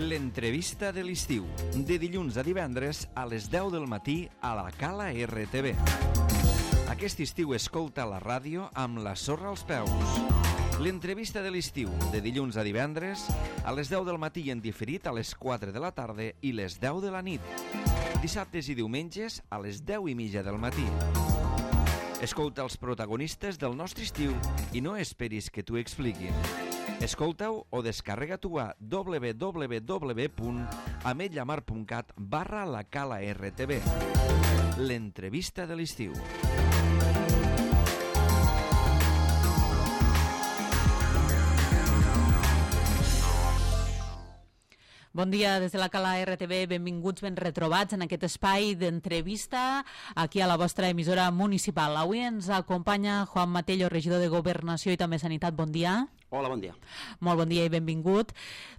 L'entrevista de l'estiu, de dilluns a divendres a les 10 del matí a la Cala RTV. Aquest estiu escolta la ràdio amb la sorra als peus. L'entrevista de l'estiu, de dilluns a divendres a les 10 del matí i en diferit a les 4 de la tarda i les 10 de la nit. Dissabtes i diumenges a les 10:30 del matí. Escolta els protagonistes del nostre estiu i no esperis que t'ho expliquin. Escolta-ho o descarrega-t'ho a www.ametlllamar.cat/la Cala RTV. L'entrevista de l'estiu. Bon dia des de la Cala RTV, benvinguts, ben retrobats en aquest espai d'entrevista aquí a la vostra emissora municipal. Avui ens acompanya Juan Matello, regidor de Governació i també Sanitat. Bon dia. Hola, bon dia. Molt bon dia i benvingut.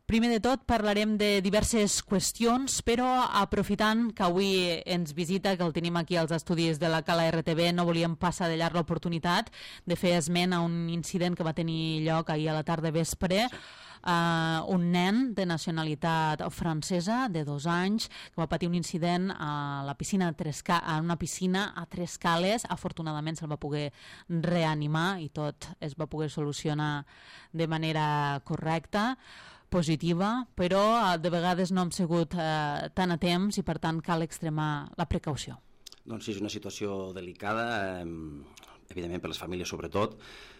Primer de tot parlarem de diverses qüestions, però aprofitant que avui ens visita, que el tenim aquí als estudis de la Cala RTV, no volíem passar de llarg l'oportunitat de fer esment a un incident que va tenir lloc ahir a la tarda vespre. Un nen de nacionalitat francesa de 2 anys que va patir un incident a la piscina a una piscina a Tres Cales. Afortunadament se'l va poder reanimar i tot es va poder solucionar de manera correcta, positiva, però de vegades no hem sigut tan a temps i per tant cal extremar la precaució. Doncs sí, és una situació delicada, evidentment per les famílies sobretot.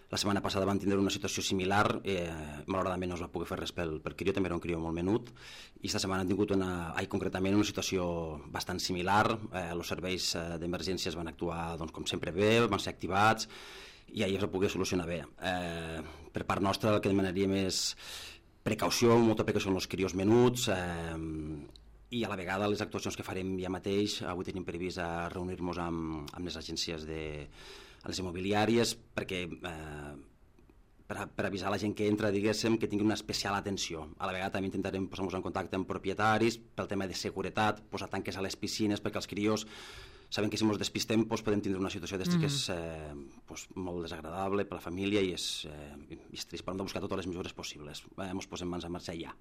La setmana passada van tindre una situació similar, malauradament no es va poder fer res pel crió, també era un crió molt menut, i esta setmana han tingut concretament una situació bastant similar. Els serveis d'emergències van actuar com sempre bé, van ser activats i ahir es va poder solucionar bé. Per part nostra el que demanaríem és precaució, molta precaució amb els crios menuts, i a la vegada les actuacions que farem ja mateix. Avui tenim previst reunir-nos amb les agències a les immobiliàries per avisar la gent que entra, diguéssim, que tingui una especial atenció. A la vegada també intentarem posar-nos en contacte amb propietaris pel tema de seguretat, posar tanques a les piscines perquè els crios saben que si ens despistem podem tindre una situació d'estes que és molt desagradable per la família i és trist, però hem de buscar totes les mesures possibles. Ens posem mans a marxa ja.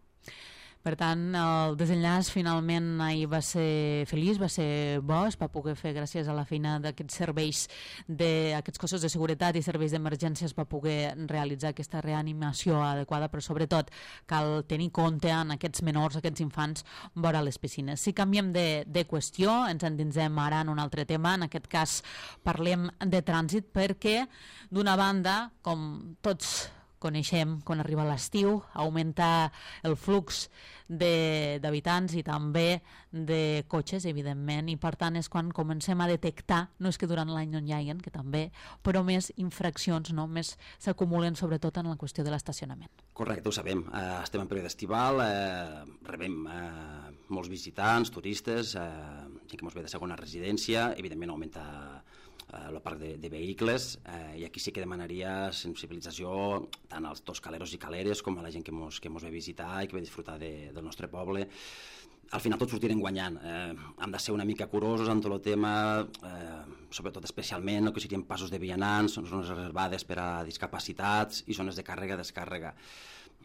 Per tant, el desenllaç finalment ahir va ser feliç, va ser bo, es va poder fer gràcies a la feina d'aquests serveis, d'aquests cossos de seguretat i serveis d'emergència, es va poder realitzar aquesta reanimació adequada, però sobretot cal tenir compte en aquests menors, aquests infants, vora les piscines. Si canviem de qüestió, ens endinsem ara en un altre tema, en aquest cas parlem de trànsit, perquè d'una banda, com tots coneixem, quan arriba l'estiu, augmenta el flux d'habitants i també de cotxes, evidentment, i per tant és quan comencem a detectar, no és que durant l'any no hi hagin, que també, però més infraccions, no? Més s'acumulen sobretot en la qüestió de l'estacionament. Correcte, ho sabem. Estem en període estival, rebem molts visitants, turistes, gent que ens ve de segona residència, evidentment augmenta el parc de vehicles, i aquí sí que demanaria sensibilització tant als toscaleros i caleres com a la gent que ens ve visitar i que ve disfrutar del nostre poble. Al final tots sortirem guanyant. Hem de ser una mica curosos en tot el tema, sobretot especialment el que serien passos de vianants, zones reservades per a discapacitats i zones de càrrega-descàrrega.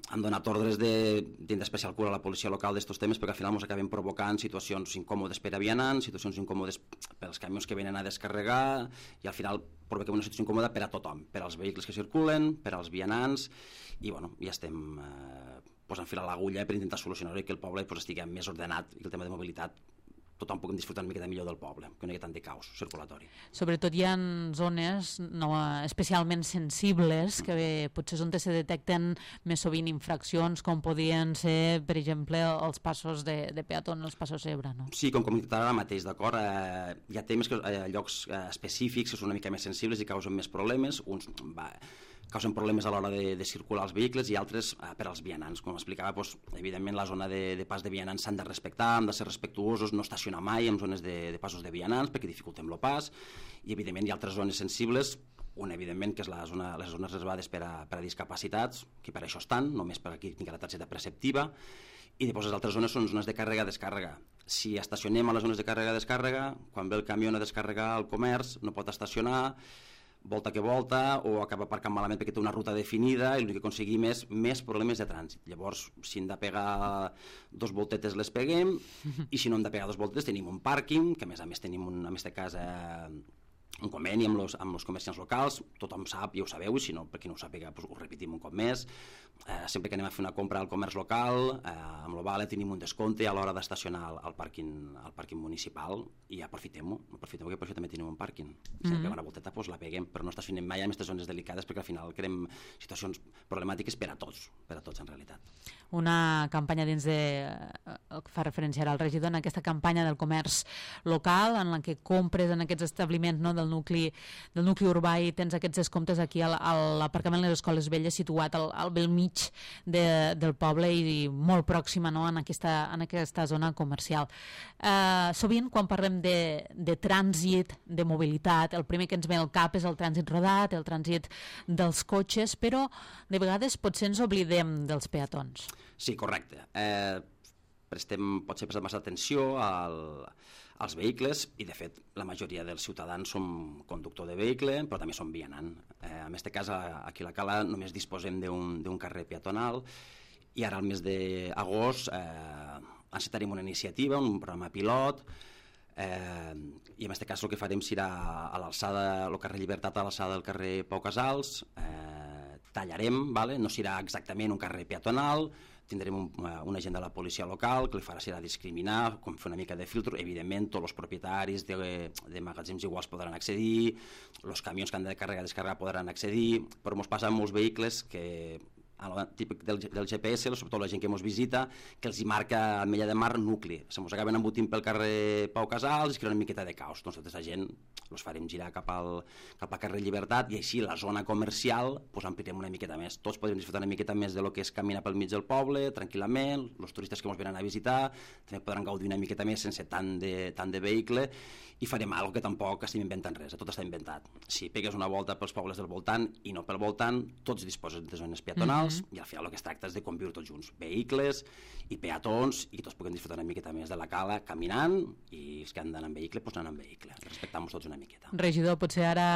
Han donat ordres de tindre especial cura a la policia local d'estos temes perquè al final ens acabem provocant situacions incòmodes per a vianants, situacions incòmodes pels camions que venen a descarregar i al final provoquem una situació incòmoda per a tothom, per als vehicles que circulen, per als vianants i ja estem posant fil a l'agulla per intentar solucionar-ho i que el poble estigui més ordenat i que el tema de mobilitat tothom puguem disfrutar una miqueta millor del poble, que no hi ha tant de caos circulatori. Sobretot hi ha zones especialment sensibles que potser és on se detecten més sovint infraccions, com podien ser, per exemple, els passos de peatons, els passos zebra, no? Sí, com comentava ara mateix, d'acord? Hi ha temes, llocs específics que són una mica més sensibles i causen més problemes, uns causen problemes a l'hora de circular els vehicles i altres per als vianants. Com explicava, evidentment la zona de pas de vianants s'han de respectar, han de ser respectuosos, no estacionar mai en zones de passos de vianants perquè dificultem el pas, i evidentment hi ha altres zones sensibles, una evidentment que és les zones reservades per a discapacitats, que per això estan, només per aquí tinc la targeta preceptiva, i després les altres zones són zones de càrrega-descàrrega. Si estacionem a les zones de càrrega-descàrrega, quan ve el camió a descarregar el comerç no pot estacionar, volta que volta, o acaba aparcant malament perquè té una ruta definida i l'únic que aconseguim és més problemes de trànsit. Llavors, si hem de pegar 2 voltetes les peguem, i si no hem de pegar 2 voltetes tenim un pàrquing, que a més tenim en aquest cas un conveni amb els comerciants locals, tothom sap, ja ho sabeu, i si no, per qui no ho sàpiga, ho repetim un cop més. Sempre que anem a fer una compra al comerç local, amb l'Ovale tenim un descompte a l'hora d'estacionar al pàrquing municipal, i aprofitem-ho, que per això també tenim un pàrquing. Si hem de pegar una volteta, doncs la peguem, però no estacionem mai en aquestes zones delicades, perquè al final creem situacions problemàtiques per a tots en realitat. Una campanya dins de... fa referència al regidor, en aquesta campanya del comerç local, en la que compres en aquests establiments, no, del nucli urbà, i tens aquests descomptes aquí a l'aparcament de les Escoles Velles, situat al bell mig del poble i molt pròxima, no, en aquesta zona comercial. Sovint, quan parlem de trànsit, de mobilitat, el primer que ens ve al cap és el trànsit rodat, el trànsit dels cotxes, però de vegades potser ens oblidem dels peatons. Sí, correcte. Potser prestem massa atenció als vehicles, i de fet la majoria dels ciutadans som conductor de vehicle, però també som vianant. En aquest cas, aquí a la Cala només disposem d'un carrer peatonal, i ara al mes d'agost encetarem una iniciativa, un programa pilot, i en aquest cas el que farem serà a l'alçada, el carrer Llibertat a l'alçada del carrer Pau Casals, tallarem, no serà exactament un carrer peatonal, tindrem un agent de la policia local que li farà serà discriminar, com fer una mica de filtro. Evidentment, tots els propietaris de magatzems iguals podran accedir, els camions que han de carregar i descarregar podran accedir, però ens passa amb molts vehicles que, típic del GPS, sobretot la gent que ens visita, que els hi marca Ametlla de Mar nucli. Se mos acaben embotint pel carrer Pau Casals i es crea una miqueta de caos. Doncs tota la gent els farem girar cap al carrer Llibertat, i així la zona comercial amplirem una miqueta més. Tots podrem disfrutar una miqueta més de lo que és caminar pel mig del poble, tranquil·lament. Els turistes que ens venen a visitar també podran gaudir una miqueta més sense tant de vehicle, i farem alguna cosa que tampoc estem inventant res, tot està inventat. Si pegues una volta pels pobles del voltant i no pel voltant, tots disposen de zones peatonals, i al final el que es tracta és de conviure tots junts, vehicles i peatons, i que tots puguem disfrutar una miqueta més de la Cala caminant, i els que han d'anar en vehicle, doncs anar en vehicle, respectant-nos tots una miqueta. Regidor, potser ara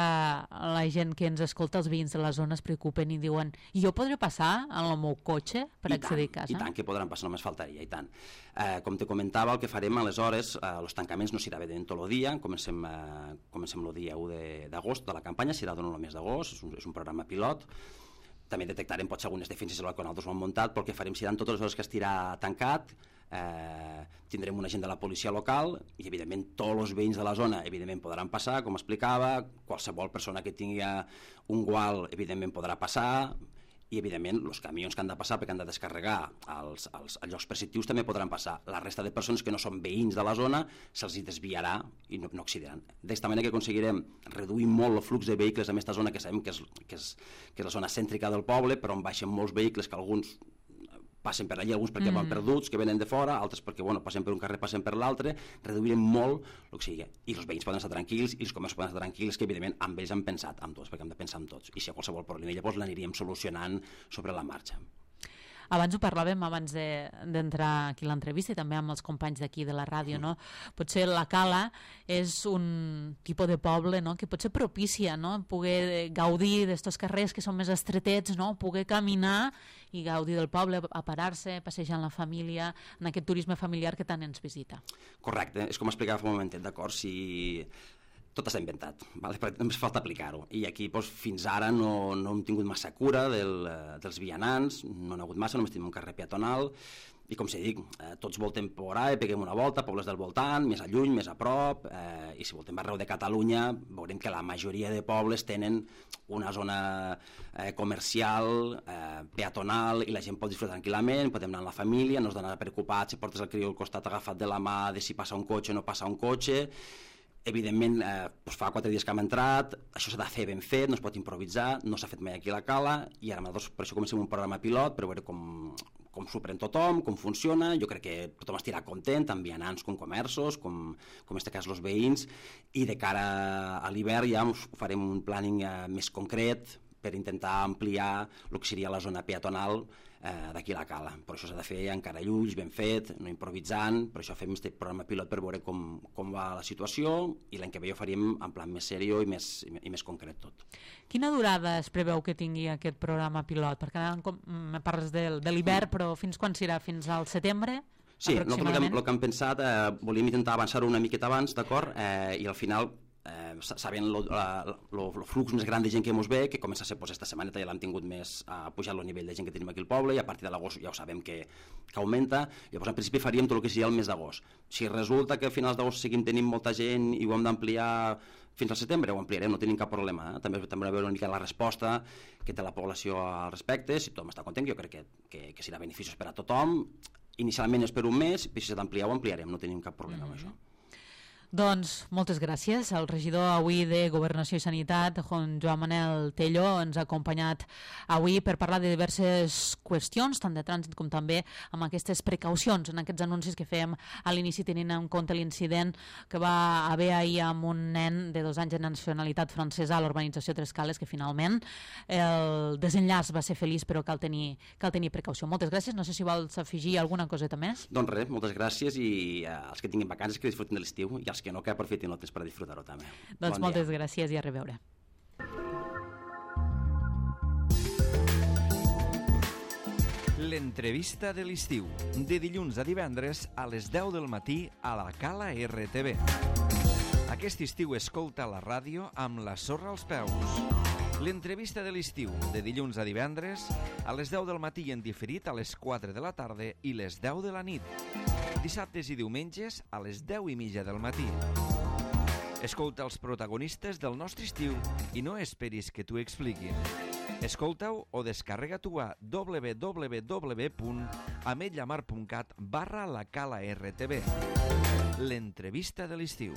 la gent que ens escolta, els veïns de la zona, es preocupen i diuen: i jo podré passar en el meu cotxe per accedir a casa? I tant que podran passar, només faltaria, i tant. Com te comentava, el que farem aleshores, els tancaments no serà evident tot el dia, comencem el dia 1 d'agost de la campanya, serà durant el mes d'agost, és un programa pilot. També detectarem potser algunes defenses que nosaltres ho hem muntat, però el que farem seran totes les hores que estirà tancat, tindrem un agent de la policia local, i evidentment tots els veïns de la zona evidentment podran passar, com explicava, qualsevol persona que tingui un gual evidentment podrà passar, i evidentment els camions que han de passar perquè han de descarregar als llocs preceptius també podran passar. La resta de persones que no són veïns de la zona se'ls desviarà i no accediran. D'esta manera que aconseguirem reduir molt el flux de vehicles en aquesta zona, que sabem que és la zona cèntrica del poble, però on baixen molts vehicles, que alguns passen per allà, alguns perquè van perduts, que venen de fora, altres perquè passen per un carrer, passen per l'altre. Reduirem molt el que sigui, i els veïns poden estar tranquils, i els comerços poden estar tranquils, que evidentment amb ells hem pensat, amb tots, perquè hem de pensar amb tots, i si hi ha qualsevol problema llavors l'aniríem solucionant sobre la marxa. Abans ho parlàvem, abans d'entrar aquí a l'entrevista, i també amb els companys d'aquí de la ràdio, no? Potser la Cala és un tipus de poble, no?, que potser propicia, no?, poder gaudir d'estos carrers que són més estretets, no?, poder caminar i gaudir del poble, a parar-se, passejar amb la família, en aquest turisme familiar que tant ens visita. Correcte, és com explicava fa un momentet, d'acord? Si tot està inventat, només falta aplicar-ho, i aquí fins ara no hem tingut massa cura dels vianants, no n'ha hagut massa, només tenim un carrer peatonal, i com s'ha dit, tots voltem per ahí, peguem una volta, pobles del voltant, més a lluny, més a prop, i si voltem arreu de Catalunya veurem que la majoria de pobles tenen una zona comercial, peatonal, i la gent pot disfrutar tranquil·lament, podem anar amb la família, no has d'anar preocupat si portes el crió al costat agafat de la mà de si passa un cotxe o no passa un cotxe. Evidentment, fa 4 dies que hem entrat, això s'ha de fer ben fet, no es pot improvisar, no s'ha fet mai aquí a la Cala, i ara per això comencem un programa pilot per veure com s'ho pren tothom, com funciona. Jo crec que tothom estirà content, tant vianants com comerços, com en aquest cas els veïns, i de cara a l'hivern ja farem un planning més concret per intentar ampliar el que seria la zona peatonal d'aquí a la Cala. Però això s'ha de fer encara llulls, ben fet, no improvisant, per això fem aquest programa pilot per veure com va la situació, i l'any que ve ho faríem en plan més seriós i més concret tot. Quina durada es preveu que tingui aquest programa pilot? Perquè me parles de l'hivern, però fins quan serà? Fins al setembre? Sí, nosaltres el que hem pensat, volíem intentar avançar-ho una miqueta abans, d'acord? I al final, sabent el flux més gran de gent que ens ve, que comença a ser esta setmaneta, ja l'hem tingut més pujat el nivell de gent que tenim aquí al poble, i a partir de l'agost ja ho sabem que augmenta. Llavors, en principi, faríem tot el que seria el mes d'agost. Si resulta que a finals d'agost seguim tenint molta gent i ho hem d'ampliar fins al setembre, ho ampliarem, no tenim cap problema. També a veure una mica la resposta que té la població al respecte. Si tothom està content, jo crec que serà beneficiós per a tothom. Inicialment és per un mes, i si s'ha d'ampliar ho ampliarem, no tenim cap problema amb això. Doncs moltes gràcies. El regidor avui de Governació i Sanitat, Joan Manel Tello, ens ha acompanyat avui per parlar de diverses qüestions, tant de trànsit com també amb aquestes precaucions en aquests anuncis que fèiem a l'inici, tenint en compte l'incident que va haver ahir amb un nen de 2 anys de nacionalitat francesa a l'urbanització Tres Cales, que finalment el desenllaç va ser feliç, però cal tenir precaució. Moltes gràcies. No sé si vols afegir alguna coseta més. Doncs res, moltes gràcies, i els que tinguin vacances que disfrutin de l'estiu, i els que no, que aprofitin el temps per disfrutar-ho també. Doncs moltes gràcies i a reveure. L'entrevista de l'estiu, de dilluns a divendres a les 10 del matí a la Cala RTV. Aquest estiu escolta la ràdio amb la sorra als peus. L'entrevista de l'estiu, de dilluns a divendres a les 10 del matí en diferit a les 4 de la tarda i les 10 de la nit. Dissabtes i diumenges a les 10:30 del matí. Escolta els protagonistes del nostre estiu i no esperis que t'ho expliquin. Escolta-ho o descarrega-t'ho a www.ametlllamar.cat/la Cala RTV. L'entrevista de l'estiu.